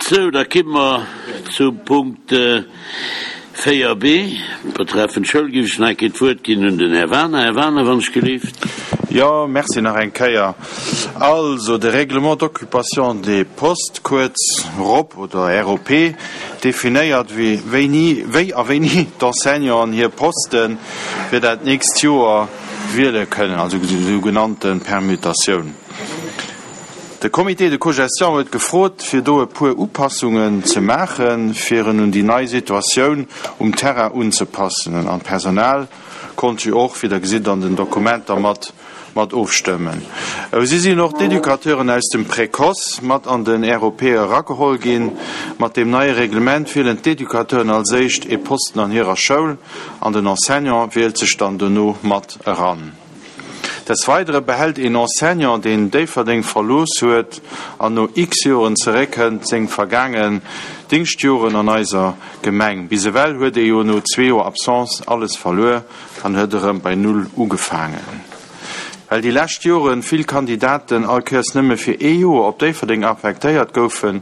Sou, da kimme mer zum Punkt 4b, betreffend d'Schoul. Géif ech nach eng Kéier d'Wuert ginn un den Här Waner. Här Waner, wann ech gelift. Jo, merci nach eng Kéier. Also, de Règlement d'occupation des postes, kuerz rop oder ROP, definéiert, wéini, wéi a wéini d'Enseignanten hir Poste fir dat nächst Joer wiele kënnen, also sougenannte Permutatioun. De Comité de cogestion huet gefrot, fir do e puer Upassungen ze maachen, fir en un déi nei Situatioun um Terrain unzepassen. An d'Personal konnt jo och, wéi Der gesitt an den Dokumenter, mat mat ofstëmmen. Si sinn och d'Educateuren aus dem Précoce mat an den ROP erageholl ginn. Mat deem neie Reglement wielen d'Educateuren als éischt ee Posten an hirer Schoul an den Enseignant wielt sech dann dono mat eran. Des Weidere behält een Enseignant, deen Déifferdeng verlooss huet an no x Joren zeréckkënnt, seng vergaangen Dingschtjoren an eiser Gemeng. Bis ewell huet ee jo no zwee Joer Absence alles verluer an huet erëm bei Null ugefaangen. Well déi lescht Joren vill Kandidaten all Kéiers nëmme fir ee Joer op Déifferdeng affektéiert goufen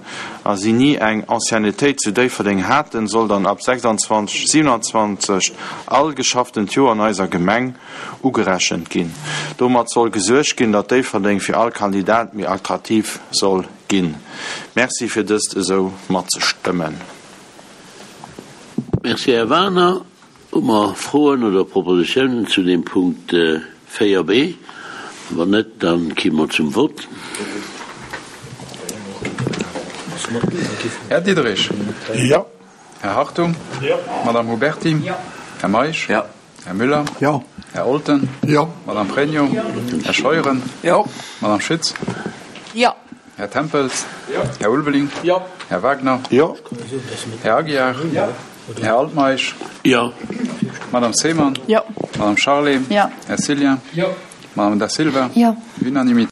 a si ni eng Anciennetéit zu Déifferdeng haten, soll dann ab 26, 27 all geschafftent Joer an eiser Gemeng ugerechent ginn. Domat soll gesuergt ginn, datt Déifferdeng fir all Kandidat méi attraktiv soll ginn. Merci fir dëst esou matzestëmmen. Merci, Här Wagener. Hu mer Froen oder Propositionen zu deem Punkt 4b? Wann net, da ki mer zum Vott. Här Diderich. Jo. Här Hartung. Jo. Madame Huberty. Jo. Här Meisch. Jo. Här Müller. Jo. Här Olten. Jo. Madame Pregno. Jo. Här Scheuren. Jo. Madame Schütz. Jo. Här Tempels. Jo. Här Ulveling. Jo. Här Wagner. Jo. Här Aguiar. Jo. Här Altmeisch. Jo. Madame Seemann. Jo. Madame Charlé. Jo. Här Cillien. Jo. Madame Da Silva. Jo. Unanimité.